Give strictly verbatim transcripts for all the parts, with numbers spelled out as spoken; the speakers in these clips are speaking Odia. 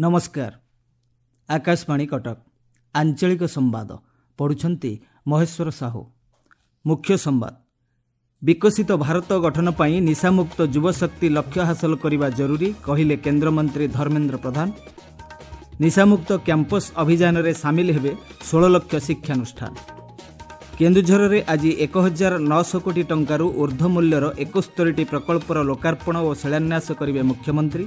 ନମସ୍କାର, ଆକାଶବାଣୀ କଟକ, ଆଞ୍ଚଳିକ ସମ୍ବାଦ ପଢ଼ୁଛନ୍ତି ମହେଶ୍ୱର ସାହୁ। ମୁଖ୍ୟ ସମ୍ବାଦ। ବିକଶିତ ଭାରତ ଗଠନ ପାଇଁ ନିଶାମୁକ୍ତ ଯୁବଶକ୍ତି ଲକ୍ଷ୍ୟ ହାସଲ କରିବା ଜରୁରୀ, କହିଲେ କେନ୍ଦ୍ରମନ୍ତ୍ରୀ ଧର୍ମେନ୍ଦ୍ର ପ୍ରଧାନ। ନିଶାମୁକ୍ତ କ୍ୟାମ୍ପସ୍ ଅଭିଯାନରେ ସାମିଲ ହେବେ ଷୋହଳ ଲକ୍ଷ ଶିକ୍ଷାନୁଷ୍ଠାନ। କେନ୍ଦୁଝରରେ ଆଜି ଏକ ହଜାର ନଅଶହ କୋଟି ଟଙ୍କାରୁ ଉର୍ଦ୍ଧ୍ୱ ମୂଲ୍ୟର ଏକସ୍ତରୀଟି ପ୍ରକଳ୍ପର ଲୋକାର୍ପଣ ଓ ଶିଳାନ୍ୟାସ କରିବେ ମୁଖ୍ୟମନ୍ତ୍ରୀ।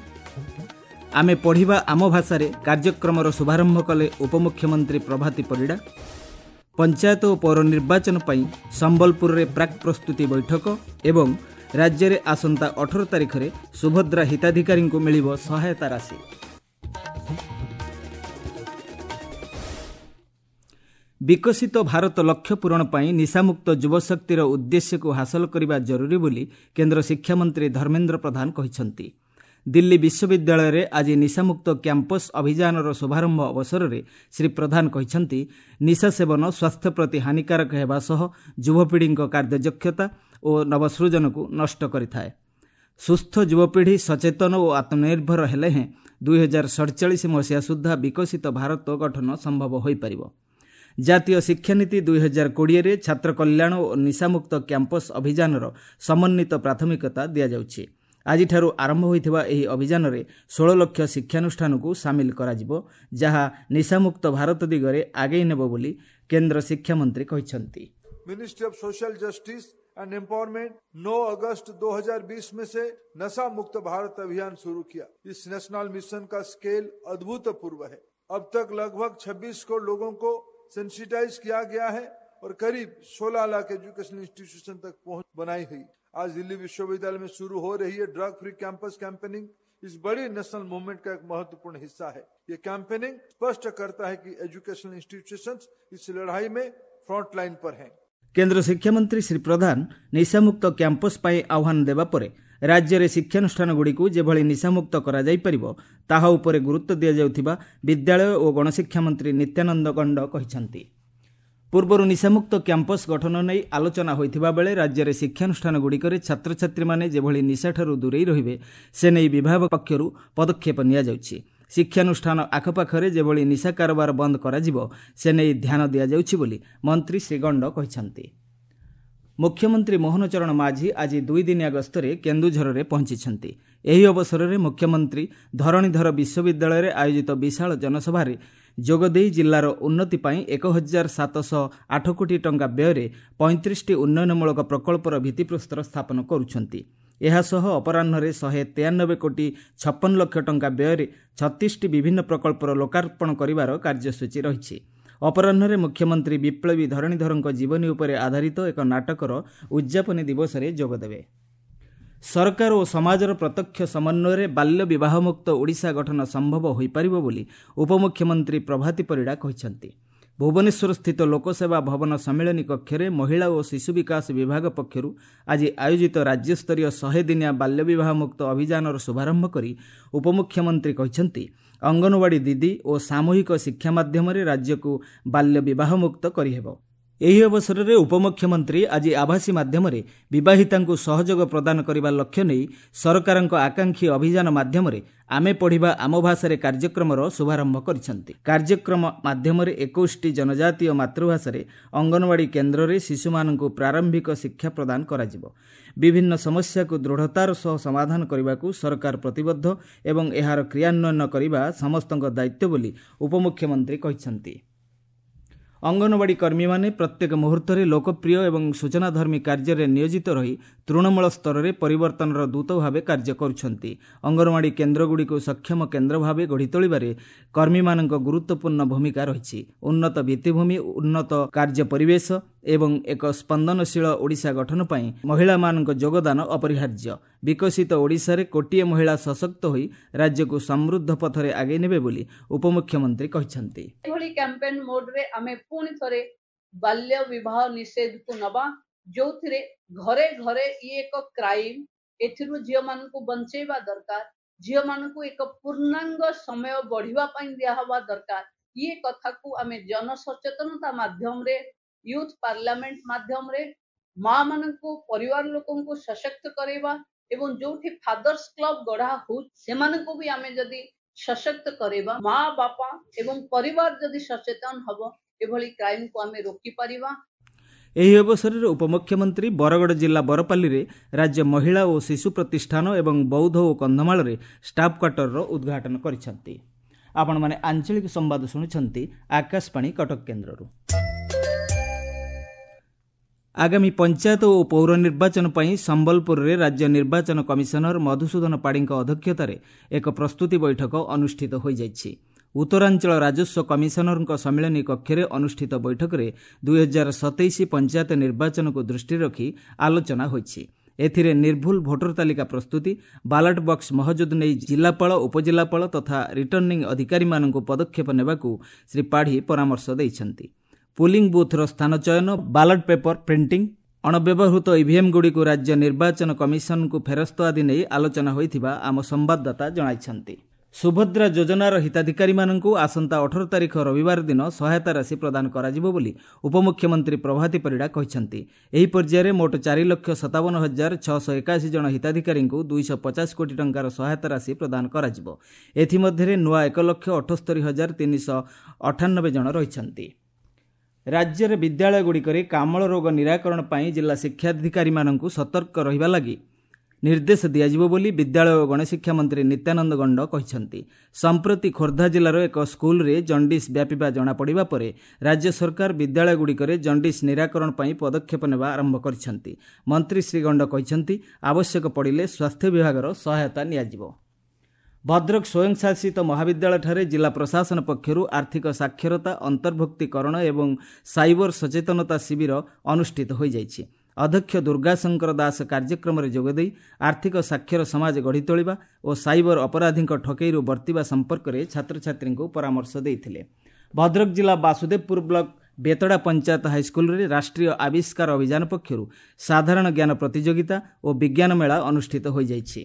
ଆମେ ପଢ଼ିବା ଆମ ଭାଷାରେ କାର୍ଯ୍ୟକ୍ରମର ଶୁଭାରମ୍ଭ କଲେ ଉପମୁଖ୍ୟମନ୍ତ୍ରୀ ପ୍ରଭାତୀ ପରିଡ଼ା। ପଞ୍ଚାୟତ ଓ ପୌର ନିର୍ବାଚନ ପାଇଁ ସମ୍ବଲପୁରରେ ପ୍ରାକ୍ ପ୍ରସ୍ତୁତି ବୈଠକ ଏବଂ ରାଜ୍ୟରେ ଆସନ୍ତା ଅଠର ତାରିଖରେ ସୁଭଦ୍ରା ହିତାଧିକାରୀଙ୍କୁ ମିଳିବ ସହାୟତା ରାଶି। ବିକଶିତ ଭାରତ ଲକ୍ଷ୍ୟ ପୂରଣ ପାଇଁ ନିଶାମୁକ୍ତ ଯୁବଶକ୍ତିର ଉଦ୍ଦେଶ୍ୟକୁ ହାସଲ କରିବା ଜରୁରୀ ବୋଲି କେନ୍ଦ୍ର ଶିକ୍ଷାମନ୍ତ୍ରୀ ଧର୍ମେନ୍ଦ୍ର ପ୍ରଧାନ କହିଛନ୍ତି। ଦିଲ୍ଲୀ ବିଶ୍ୱବିଦ୍ୟାଳୟରେ ଆଜି ନିଶାମୁକ୍ତ କ୍ୟାମ୍ପସ୍ ଅଭିଯାନର ଶୁଭାରମ୍ଭ ଅବସରରେ ଶ୍ରୀ ପ୍ରଧାନ କହିଛନ୍ତି, ନିଶା ସେବନ ସ୍ୱାସ୍ଥ୍ୟ ପ୍ରତି ହାନିକାରକ ହେବା ସହ ଯୁବପିଢ଼ିଙ୍କ କାର୍ଯ୍ୟଦକ୍ଷତା ଓ ନବସୃଜନକୁ ନଷ୍ଟ କରିଥାଏ। ସୁସ୍ଥ ଯୁବପିଢ଼ି ସଚେତନ ଓ ଆତ୍ମନିର୍ଭର ହେଲେ ହେଁ ଦୁଇହଜାର ସଡ଼ଚାଳିଶ ମସିହା ସୁଦ୍ଧା ବିକଶିତ ଭାରତ ଗଠନ ସମ୍ଭବ ହୋଇପାରିବ। ଜାତୀୟ ଶିକ୍ଷାନୀତି ଦୁଇହଜାର କୋଡ଼ିଏରେ ଛାତ୍ର କଲ୍ୟାଣ ଓ ନିଶାମୁକ୍ତ କ୍ୟାମ୍ପସ୍ ଅଭିଯାନର ସମନ୍ୱିତ ପ୍ରାଥମିକତା ଦିଆଯାଉଛି। ଆଜିଠାରୁ ଆରମ୍ଭ ହୋଇଥିବା ଏହି ଅଭିଯାନରେ ଷୋହଳ ଲକ୍ଷ ଶିକ୍ଷାନୁଷ୍ଠାନକୁ ସାମିଲ କରାଯିବ, ଯାହା ନିଶାମୁକ୍ତ ଭାରତ ଦିଗରେ ଆଗେଇ ନେବ ବୋଲି କେନ୍ଦ୍ର ଶିକ୍ଷାମନ୍ତ୍ରୀ କହିଛନ୍ତି। Ministry of Social Justice and Empowerment नौ अगस्त दो हज़ार बीस में से नशा मुक्त भारत अभियान शुरू किया। इस नेशनल मिशन का स्केल अद्भुतपूर्व है। अब तक लगभग छब्बीस करोड़ लोगों को सेंसिटाइज किया गया है और करीब सोलह लाख एजुकेशन इंस्टीट्यूशन तक पहुंच बनाई हुई। आज दिल्ली विश्वविद्यालय में शुरू हो रही है ड्रग फ्री कैंपस कैंपेनिंग इस बड़ी नेशनल मूवमेंट का एक महत्वपूर्ण हिस्सा है। ये कैंपेनिंग स्पष्ट करता है कि एजुकेशनल इंस्टीट्यूशंस इस लड़ाई में फ्रंट लाइन पर हैं। କେନ୍ଦ୍ର ଶିକ୍ଷାମନ୍ତ୍ରୀ ଶ୍ରୀ ପ୍ରଧାନ ନିଶାମୁକ୍ତ କ୍ୟାମ୍ପସ୍ ପାଇଁ ଆହ୍ୱାନ ଦେବା ପରେ ରାଜ୍ୟରେ ଶିକ୍ଷାନୁଷ୍ଠାନଗୁଡ଼ିକୁ ଯେଭଳି ନିଶାମୁକ୍ତ କରାଯାଇପାରିବ ତାହା ଉପରେ ଗୁରୁତ୍ୱ ଦିଆଯାଉଥିବା ବିଦ୍ୟାଳୟ ଓ ଗଣଶିକ୍ଷା ମନ୍ତ୍ରୀ ନିତ୍ୟାନନ୍ଦ ଗଣ୍ଡ କହିଛନ୍ତି। ପୂର୍ବରୁ ନିଶାମୁକ୍ତ କ୍ୟାମ୍ପସ୍ ଗଠନ ନେଇ ଆଲୋଚନା ହୋଇଥିବା ବେଳେ ରାଜ୍ୟରେ ଶିକ୍ଷାନୁଷ୍ଠାନଗୁଡ଼ିକରେ ଛାତ୍ରଛାତ୍ରୀମାନେ ଯେଭଳି ନିଶାଠାରୁ ଦୂରେଇ ରହିବେ ସେ ନେଇ ବିଭାଗ ପକ୍ଷରୁ ପଦକ୍ଷେପ ନିଆଯାଉଛି। ଶିକ୍ଷାନୁଷ୍ଠାନ ଆଖପାଖରେ ଯେଭଳି ନିଶା କାରବାର ବନ୍ଦ କରାଯିବ ସେ ନେଇ ଧ୍ୟାନ ଦିଆଯାଉଛି ବୋଲି ମନ୍ତ୍ରୀ ଶ୍ରୀ ଗଣ୍ଡ କହିଛନ୍ତି। ମୁଖ୍ୟମନ୍ତ୍ରୀ ମୋହନ ଚରଣ ମାଝୀ ଆଜି ଦୁଇଦିନିଆ ଗସ୍ତରେ କେନ୍ଦୁଝରରେ ପହଞ୍ଚିଛନ୍ତି। ଏହି ଅବସରରେ ମୁଖ୍ୟମନ୍ତ୍ରୀ ଧରଣୀଧର ବିଶ୍ୱବିଦ୍ୟାଳୟରେ ଆୟୋଜିତ ବିଶାଳ ଜନସଭାରେ ଯୋଗଦେଇ ଜିଲ୍ଲାର ଉନ୍ନତି ପାଇଁ ଏକ ହଜାର ସାତଶହ ଆଠ କୋଟି ଟଙ୍କା ବ୍ୟୟରେ ପଇଁତିରିଶଟି ଉନ୍ନୟନମୂଳକ ପ୍ରକଳ୍ପର ଭିତ୍ତିପ୍ରସ୍ତର ସ୍ଥାପନ କରୁଛନ୍ତି। ଏହାସହ ଅପରାହ୍ନରେ ଶହେ ତେୟାନବେ କୋଟି ଛପନ ଲକ୍ଷ ଟଙ୍କା ବ୍ୟୟରେ ଛତିଶଟି ବିଭିନ୍ନ ପ୍ରକଳ୍ପର ଲୋକାର୍ପଣ କରିବାର କାର୍ଯ୍ୟସୂଚୀ ରହିଛି। ଅପରାହ୍ନରେ ମୁଖ୍ୟମନ୍ତ୍ରୀ ବିପ୍ଳବୀ ଧରଣୀଧରଙ୍କ ଜୀବନୀ ଉପରେ ଆଧାରିତ ଏକ ନାଟକର ଉଦ୍ଯାପନୀ ଦିବସରେ ଯୋଗଦେବେ। ସରକାର ଓ ସମାଜର ପ୍ରତ୍ୟକ୍ଷ ସମନ୍ୱୟରେ ବାଲ୍ୟ ବିବାହମୁକ୍ତ ଓଡ଼ିଶା ଗଠନ ସମ୍ଭବ ହୋଇପାରିବ ବୋଲି ଉପମୁଖ୍ୟମନ୍ତ୍ରୀ ପ୍ରଭାତୀ ପରିଡ଼ା କହିଛନ୍ତି। ଭୁବନେଶ୍ୱରସ୍ଥିତ ଲୋକସେବା ଭବନ ସମ୍ମିଳନୀ କକ୍ଷରେ ମହିଳା ଓ ଶିଶୁ ବିକାଶ ବିଭାଗ ପକ୍ଷରୁ ଆଜି ଆୟୋଜିତ ରାଜ୍ୟସ୍ତରୀୟ ଶହେ ଦିନିଆ ବାଲ୍ୟ ବିବାହମୁକ୍ତ ଅଭିଯାନର ଶୁଭାରମ୍ଭ କରି ଉପମୁଖ୍ୟମନ୍ତ୍ରୀ କହିଛନ୍ତି, ଅଙ୍ଗନବାଡ଼ି ଦିଦି ଓ ସାମୂହିକ ଶିକ୍ଷା ମାଧ୍ୟମରେ ରାଜ୍ୟକୁ ବାଲ୍ୟ ବିବାହମୁକ୍ତ କରିହେବ। ଏହି ଅବସରରେ ଉପମୁଖ୍ୟମନ୍ତ୍ରୀ ଆଜି ଆଭାସୀ ମାଧ୍ୟମରେ ବିବାହିତାଙ୍କୁ ସହଯୋଗ ପ୍ରଦାନ କରିବା ଲକ୍ଷ୍ୟ ନେଇ ସରକାରଙ୍କ ଆକାଂକ୍ଷୀ ଅଭିଯାନ ମାଧ୍ୟମରେ ଆମେ ପଢ଼ିବା ଆମ ଭାଷାରେ କାର୍ଯ୍ୟକ୍ରମର ଶୁଭାରମ୍ଭ କରିଛନ୍ତି। କାର୍ଯ୍ୟକ୍ରମ ମାଧ୍ୟମରେ ଏକୋଇଶଟି ଜନଜାତୀୟ ମାତୃଭାଷାରେ ଅଙ୍ଗନବାଡ଼ି କେନ୍ଦ୍ରରେ ଶିଶୁମାନଙ୍କୁ ପ୍ରାରମ୍ଭିକ ଶିକ୍ଷା ପ୍ରଦାନ କରାଯିବ। ବିଭିନ୍ନ ସମସ୍ୟାକୁ ଦୃଢ଼ତାର ସହ ସମାଧାନ କରିବାକୁ ସରକାର ପ୍ରତିବଦ୍ଧ ଏବଂ ଏହାର କ୍ରିୟାନ୍ୱୟନ କରିବା ସମସ୍ତଙ୍କ ଦାୟିତ୍ୱ ବୋଲି ଉପମୁଖ୍ୟମନ୍ତ୍ରୀ କହିଛନ୍ତି। ଅଙ୍ଗନବାଡ଼ି କର୍ମୀମାନେ ପ୍ରତ୍ୟେକ ମୁହୂର୍ତ୍ତରେ ଲୋକପ୍ରିୟ ଏବଂ ସୂଚନାଧର୍ମୀ କାର୍ଯ୍ୟରେ ନିୟୋଜିତ ରହି ତୃଣମୂଳ ସ୍ତରରେ ପରିବର୍ତ୍ତନର ଦୂତ ଭାବେ କାର୍ଯ୍ୟ କରୁଛନ୍ତି। ଅଙ୍ଗନବାଡ଼ି କେନ୍ଦ୍ରଗୁଡ଼ିକୁ ସକ୍ଷମ କେନ୍ଦ୍ର ଭାବେ ଗଢ଼ି ତୋଳିବାରେ କର୍ମୀମାନଙ୍କ ଗୁରୁତ୍ୱପୂର୍ଣ୍ଣ ଭୂମିକା ରହିଛି। ଉନ୍ନତ ଭିତ୍ତିଭୂମି, ଉନ୍ନତ କାର୍ଯ୍ୟ ପରିବେଶ ଏବଂ ଏକ ସ୍ପନ୍ଦନଶୀଳ ଓଡ଼ିଶା ଗଠନ ପାଇଁ ମହିଳାମାନଙ୍କ ଯୋଗଦାନ ଅପରିହାର୍ଯ୍ୟ। ବିକଶିତ ଓଡ଼ିଶାରେ କୋଟିଏ ମହିଳା ସଶକ୍ତ ହୋଇ ରାଜ୍ୟକୁ ସମୃଦ୍ଧ ପଥରେ ଆଗେଇ ନେବେ ବୋଲି ଉପମୁଖ୍ୟମନ୍ତ୍ରୀ କହିଛନ୍ତି। ଏଭଳି କ୍ୟାମ୍ପେନ୍ ମୋଡରେ ଆମେ ପୁଣି ଥରେ ବାଲ୍ୟ ବିବାହ ନିଷେଧକୁ ନବା, ଯୋଉଥିରେ ଘରେ ଘରେ ଇଏ ଏକ କ୍ରାଇମ, ଏଥିରୁ ଝିଅମାନଙ୍କୁ ବଞ୍ଚେଇବା ଦରକାର, ଝିଅମାନଙ୍କୁ ଏକ ପୂର୍ଣ୍ଣାଙ୍ଗ ସମୟ ବଢିବା ପାଇଁ ଦିଆହବା ଦରକାର। ଇଏ କଥାକୁ ଆମେ ଜନସଚେତନତା ମାଧ୍ୟମରେ, ୟୁଥ ପାର୍ଲାମେଣ୍ଟ ମାଧ୍ୟମରେ ମା ମାନଙ୍କୁ, ପରିବାର ଲୋକଙ୍କୁ ସଶକ୍ତ କରାଇବା ଏବଂ ଯୋଉଠି ଫାଦର୍ସ କ୍ଲବ ଗଢା ହଉ ସେମାନଙ୍କୁ ବି ଆମେ ଯଦି ସଶକ୍ତ କରିବା। ମା ବାପା ଏବଂ ପରିବାର ଯଦି ସଚେତନ ହବ, ଏଭଳି କ୍ରାଇମକୁ ଆମେ ରୋକିପାରିବା। ଏହି ଅବସରରେ ଉପମୁଖ୍ୟମନ୍ତ୍ରୀ ବରଗଡ଼ ଜିଲ୍ଲା ବରପାଲିରେ ରାଜ୍ୟ ମହିଳା ଓ ଶିଶୁ ପ୍ରତିଷ୍ଠାନ ଏବଂ ବୌଦ୍ଧ ଓ କନ୍ଧମାଳରେ ଷ୍ଟାଫ୍ କ୍ୱାର୍ଟରର ଉଦ୍ଘାଟନ କରିଛନ୍ତି। ଆପଣମାନେ ଆଞ୍ଚଳିକ ସମ୍ବାଦ ଶୁଣୁଛନ୍ତି ଆକାଶବାଣୀ କଟକ କେନ୍ଦ୍ରରୁ। ଆଗାମୀ ପଞ୍ଚାୟତ ଓ ପୌର ନିର୍ବାଚନ ପାଇଁ ସମ୍ବଲପୁରରେ ରାଜ୍ୟ ନିର୍ବାଚନ କମିଶନର ମଧୁସୂଦନ ପାଢ଼ୀଙ୍କ ଅଧ୍ୟକ୍ଷତାରେ ଏକ ପ୍ରସ୍ତୁତି ବୈଠକ ଅନୁଷ୍ଠିତ ହୋଇଯାଇଛି। ଉତ୍ତରାଞ୍ଚଳ ରାଜସ୍ୱ କମିଶନରଙ୍କ ସମ୍ମିଳନୀ କକ୍ଷରେ ଅନୁଷ୍ଠିତ ବୈଠକରେ ଦୁଇହଜାର ସତେଇଶ ପଞ୍ଚାୟତ ନିର୍ବାଚନକୁ ଦୃଷ୍ଟିରେ ରଖି ଆଲୋଚନା ହୋଇଛି। ଏଥିରେ ନିର୍ଭୁଲ ଭୋଟର ତାଲିକା ପ୍ରସ୍ତୁତି, ବାଲାଟ ବକ୍ସ ମହଜୁଦ ନେଇ ଜିଲ୍ଲାପାଳ, ଉପଜିଲ୍ଲାପାଳ ତଥା ରିଟର୍ଣ୍ଣିଂ ଅଧିକାରୀମାନଙ୍କୁ ପଦକ୍ଷେପ ନେବାକୁ ଶ୍ରୀ ପାଢ଼ୀ ପରାମର୍ଶ ଦେଇଛନ୍ତି। ପୋଲିଂ ବୁଥ୍ର ସ୍ଥାନ ଚୟନ, ବାଲଟ ପେପର ପ୍ରିଣ୍ଟିଂ, ଅଣବ୍ୟବହୃତ ଇଭିଏମ୍ଗୁଡ଼ିକୁ ରାଜ୍ୟ ନିର୍ବାଚନ କମିଶନଙ୍କୁ ଫେରସ୍ତ ଆଦି ନେଇ ଆଲୋଚନା ହୋଇଥିବା ଆମ ସମ୍ବାଦଦାତା ଜଣାଇଛନ୍ତି। ସୁଭଦ୍ରା ଯୋଜନାର ହିତାଧିକାରୀମାନଙ୍କୁ ଆସନ୍ତା ଅଠର ତାରିଖ ରବିବାର ଦିନ ସହାୟତା ରାଶି ପ୍ରଦାନ କରାଯିବ ବୋଲି ଉପମୁଖ୍ୟମନ୍ତ୍ରୀ ପ୍ରଭାତୀ ପରିଡ଼ା କହିଛନ୍ତି। ଏହି ପର୍ଯ୍ୟାୟରେ ମୋଟ ଚାରି ଲକ୍ଷ ସତାବନ ହଜାର ଛଅଶହ ଏକାଅଶୀ ଜଣ ହିତାଧିକାରୀଙ୍କୁ ଦୁଇଶହ ପଚାଶ କୋଟି ଟଙ୍କାର ସହାୟତା ରାଶି ପ୍ରଦାନ କରାଯିବ। ଏଥିମଧ୍ୟରେ ନୂଆ ଏକ ଲକ୍ଷ ଅଠସ୍ତରୀ ହଜାର ତିନିଶହ ଅଠାନବେ ଜଣ ରହିଛନ୍ତି। ରାଜ୍ୟରେ ବିଦ୍ୟାଳୟଗୁଡ଼ିକରେ କାମଳ ରୋଗ ନିରାକରଣ ପାଇଁ ଜିଲ୍ଲା ଶିକ୍ଷାଧିକାରୀମାନଙ୍କୁ ସତର୍କ ରହିବା ଲାଗି ନିର୍ଦ୍ଦେଶ ଦିଆଯିବ ବୋଲି ବିଦ୍ୟାଳୟ ଓ ଗଣଶିକ୍ଷା ମନ୍ତ୍ରୀ ନିତ୍ୟାନନ୍ଦ ଗଣ୍ଡ କହିଛନ୍ତି। ସମ୍ପ୍ରତି ଖୋର୍ଦ୍ଧା ଜିଲ୍ଲାର ଏକ ସ୍କୁଲରେ ଜଣ୍ଡିସ୍ ବ୍ୟାପିବା ଜଣାପଡ଼ିବା ପରେ ରାଜ୍ୟ ସରକାର ବିଦ୍ୟାଳୟଗୁଡ଼ିକରେ ଜଣ୍ଡିସ୍ ନିରାକରଣ ପାଇଁ ପଦକ୍ଷେପ ନେବା ଆରମ୍ଭ କରିଛନ୍ତି। ମନ୍ତ୍ରୀ ଶ୍ରୀ ଗଣ୍ଡ କହିଛନ୍ତି, ଆବଶ୍ୟକ ପଡ଼ିଲେ ସ୍ୱାସ୍ଥ୍ୟ ବିଭାଗର ସହାୟତା ନିଆଯିବ। ଭଦ୍ରକ ସ୍ୱୟଂଶାସିତ ମହାବିଦ୍ୟାଳୟଠାରେ ଜିଲ୍ଲା ପ୍ରଶାସନ ପକ୍ଷରୁ ଆର୍ଥିକ ସାକ୍ଷରତା, ଅନ୍ତର୍ଭୁକ୍ତୀକରଣ ଏବଂ ସାଇବର ସଚେତନତା ଶିବିର ଅନୁଷ୍ଠିତ ହୋଇଯାଇଛି। ଅଧ୍ୟକ୍ଷ ଦୁର୍ଗାଶଙ୍କର ଦାସ କାର୍ଯ୍ୟକ୍ରମରେ ଯୋଗଦେଇ ଆର୍ଥିକ ସାକ୍ଷର ସମାଜ ଗଢ଼ି ତୋଳିବା ଓ ସାଇବର ଅପରାଧୀଙ୍କ ଠକେଇରୁ ବର୍ତ୍ତିବା ସମ୍ପର୍କରେ ଛାତ୍ରଛାତ୍ରୀଙ୍କୁ ପରାମର୍ଶ ଦେଇଥିଲେ। ଭଦ୍ରକ ଜିଲ୍ଲା ବାସୁଦେବପୁର ବ୍ଲକ ବେତଡ଼ା ପଞ୍ଚାୟତ ହାଇସ୍କୁଲରେ ରାଷ୍ଟ୍ରୀୟ ଆବିଷ୍କାର ଅଭିଯାନ ପକ୍ଷରୁ ସାଧାରଣ ଜ୍ଞାନ ପ୍ରତିଯୋଗିତା ଓ ବିଜ୍ଞାନ ମେଳା ଅନୁଷ୍ଠିତ ହୋଇଯାଇଛି।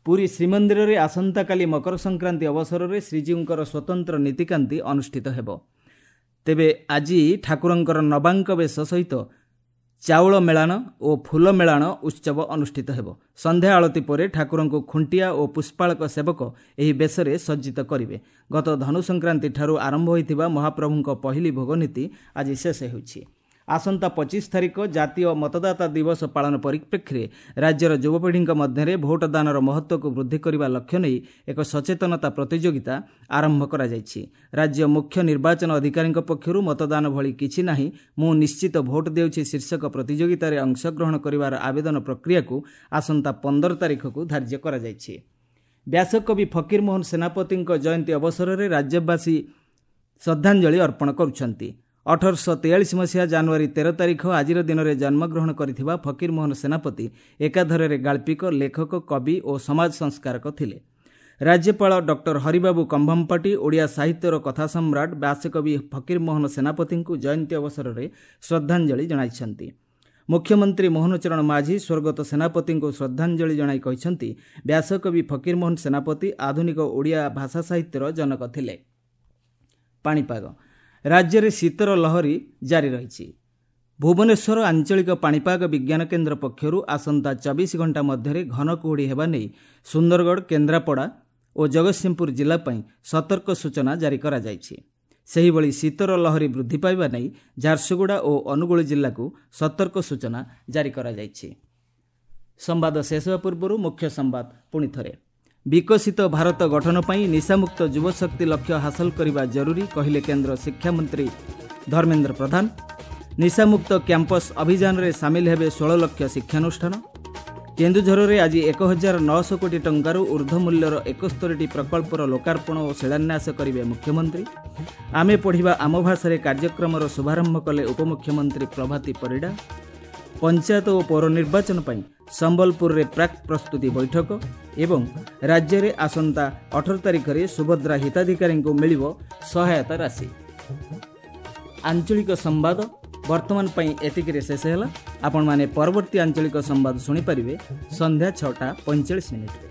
ପୁରୀ ଶ୍ରୀମନ୍ଦିରରେ ଆସନ୍ତାକାଲି ମକର ସଂକ୍ରାନ୍ତି ଅବସରରେ ଶ୍ରୀଜୀଉଙ୍କର ସ୍ୱତନ୍ତ୍ର ନୀତିକାନ୍ତି ଅନୁଷ୍ଠିତ ହେବ। ତେବେ ଆଜି ଠାକୁରଙ୍କର ନବାଙ୍କ ବେଶ ସହିତ ଚାଉଳ ମେଳାଣ ଓ ଫୁଲ ମେଳାଣ ଉତ୍ସବ ଅନୁଷ୍ଠିତ ହେବ। ସନ୍ଧ୍ୟା ଆଳତୀ ପରେ ଠାକୁରଙ୍କୁ ଖୁଣ୍ଟିଆ ଓ ପୁଷ୍ପାଳକ ସେବକ ଏହି ବେଶରେ ସଜ୍ଜିତ କରିବେ। ଗତ ଧନୁ ସଂକ୍ରାନ୍ତିଠାରୁ ଆରମ୍ଭ ହୋଇଥିବା ମହାପ୍ରଭୁଙ୍କ ପହିଲି ଭୋଗ ନୀତି ଆଜି ଶେଷ ହେଉଛି। ଆସନ୍ତା ପଚିଶ ତାରିଖ ଜାତୀୟ ମତଦାତା ଦିବସ ପାଳନ ପରିପ୍ରେକ୍ଷୀରେ ରାଜ୍ୟର ଯୁବପିଢ଼ିଙ୍କ ମଧ୍ୟରେ ଭୋଟଦାନର ମହତ୍ତ୍ୱକୁ ବୃଦ୍ଧି କରିବା ଲକ୍ଷ୍ୟ ନେଇ ଏକ ସଚେତନତା ପ୍ରତିଯୋଗିତା ଆରମ୍ଭ କରାଯାଇଛି। ରାଜ୍ୟ ମୁଖ୍ୟ ନିର୍ବାଚନ ଅଧିକାରୀଙ୍କ ପକ୍ଷରୁ ମତଦାନ ଭଳି କିଛି ନାହିଁ, ମୁଁ ନିଶ୍ଚିତ ଭୋଟ ଦେଉଛି ଶୀର୍ଷକ ପ୍ରତିଯୋଗିତାରେ ଅଂଶଗ୍ରହଣ କରିବାର ଆବେଦନ ପ୍ରକ୍ରିୟାକୁ ଆସନ୍ତା ପନ୍ଦର ତାରିଖକୁ ଧାର୍ଯ୍ୟ କରାଯାଇଛି। ବ୍ୟାସକବି ଫକୀରମୋହନ ସେନାପତିଙ୍କ ଜୟନ୍ତୀ ଅବସରରେ ରାଜ୍ୟବାସୀ ଶ୍ରଦ୍ଧାଞ୍ଜଳି ଅର୍ପଣ କରୁଛନ୍ତି। ଅଠରଶହ ତେୟାଳିଶ ମସିହା ଜାନୁଆରୀ ତେର ତାରିଖ ଆଜିର ଦିନରେ ଜନ୍ମଗ୍ରହଣ କରିଥିବା ଫକୀରମୋହନ ସେନାପତି ଏକାଧାରରେ ଗାଳ୍ପିକ, ଲେଖକ, କବି ଓ ସମାଜ ସଂସ୍କାରକ ଥିଲେ। ରାଜ୍ୟପାଳ ଡକ୍ଟର ହରିବାବୁ କମ୍ଭମପାଟି ଓଡ଼ିଆ ସାହିତ୍ୟର କଥା ସମ୍ରାଟ ବ୍ୟାସକବି ଫକୀରମୋହନ ସେନାପତିଙ୍କୁ ଜୟନ୍ତୀ ଅବସରରେ ଶ୍ରଦ୍ଧାଞ୍ଜଳି ଜଣାଇଛନ୍ତି। ମୁଖ୍ୟମନ୍ତ୍ରୀ ମୋହନ ଚରଣ ମାଝୀ ସ୍ୱର୍ଗତ ସେନାପତିଙ୍କୁ ଶ୍ରଦ୍ଧାଞ୍ଜଳି ଜଣାଇ କହିଛନ୍ତି, ବ୍ୟାସକବି ଫକୀରମୋହନ ସେନାପତି ଆଧୁନିକ ଓଡ଼ିଆ ଭାଷା ସାହିତ୍ୟର ଜନକ ଥିଲେ। ପାଣିପାଗ ରାଜ୍ୟରେ ଶୀତର ଲହରୀ ଜାରି ରହିଛି। ଭୁବନେଶ୍ୱର ଆଞ୍ଚଳିକ ପାଣିପାଗ ବିଜ୍ଞାନ କେନ୍ଦ୍ର ପକ୍ଷରୁ ଆସନ୍ତା ଚବିଶ ଘଣ୍ଟା ମଧ୍ୟରେ ଘନ କୁହୁଡ଼ି ହେବା ନେଇ ସୁନ୍ଦରଗଡ଼, କେନ୍ଦ୍ରାପଡ଼ା ଓ ଜଗତସିଂହପୁର ଜିଲ୍ଲା ପାଇଁ ସତର୍କ ସୂଚନା ଜାରି କରାଯାଇଛି। ସେହିଭଳି ଶୀତର ଲହରୀ ବୃଦ୍ଧି ପାଇବା ନେଇ ଝାରସୁଗୁଡ଼ା ଓ ଅନୁଗୁଳ ଜିଲ୍ଲାକୁ ସତର୍କ ସୂଚନା ଜାରି କରାଯାଇଛି। ସମ୍ବାଦ ଶେଷ ହେବା ପୂର୍ବରୁ ମୁଖ୍ୟ ସମ୍ବାଦ ପୁଣି ଥରେ। ବିକଶିତ ଭାରତ ଗଠନ ପାଇଁ ନିଶାମୁକ୍ତ ଯୁବଶକ୍ତି ଲକ୍ଷ୍ୟ ହାସଲ କରିବା ଜରୁରୀ କହିଲେ କେନ୍ଦ୍ର ଶିକ୍ଷାମନ୍ତ୍ରୀ ଧର୍ମେନ୍ଦ୍ର ପ୍ରଧାନ। ନିଶାମୁକ୍ତ କ୍ୟାମ୍ପସ୍ ଅଭିଯାନରେ ସାମିଲ ହେବେ ଷୋହଳ ଲକ୍ଷ ଶିକ୍ଷାନୁଷ୍ଠାନ। କେନ୍ଦୁଝରରେ ଆଜି ଏକ ହଜାର ନଅଶହ କୋଟି ଟଙ୍କାରୁ ଉର୍ଦ୍ଧ୍ୱ ମୂଲ୍ୟର ଏକସ୍ତରୀଟି ପ୍ରକଳ୍ପର ଲୋକାର୍ପଣ ଓ ଶିଳାନ୍ୟାସ କରିବେ ମୁଖ୍ୟମନ୍ତ୍ରୀ। ଆମେ ପଢ଼ିବା ଆମ ଭାଷାରେ କାର୍ଯ୍ୟକ୍ରମର ଶୁଭାରମ୍ଭ କଲେ ଉପମୁଖ୍ୟମନ୍ତ୍ରୀ ପ୍ରଭାତୀ ପରିଡ଼ା। ପଞ୍ଚାୟତ ଓ ପୌର ନିର୍ବାଚନ ପାଇଁ ସମ୍ବଲପୁରରେ ପ୍ରାକ୍ ପ୍ରସ୍ତୁତି ବୈଠକ ଏବଂ ରାଜ୍ୟରେ ଆସନ୍ତା ଅଠର ତାରିଖରେ ସୁଭଦ୍ରା ହିତାଧିକାରୀଙ୍କୁ ମିଳିବ ସହାୟତା ରାଶି। ଆଞ୍ଚଳିକ ସମ୍ବାଦ ବର୍ତ୍ତମାନ ପାଇଁ ଏତିକିରେ ଶେଷ ହେଲା। ଆପଣମାନେ ପରବର୍ତ୍ତୀ ଆଞ୍ଚଳିକ ସମ୍ବାଦ ଶୁଣିପାରିବେ ସନ୍ଧ୍ୟା ଛଅଟା ପଇଁଚାଳିଶ ମିନିଟ୍ରେ।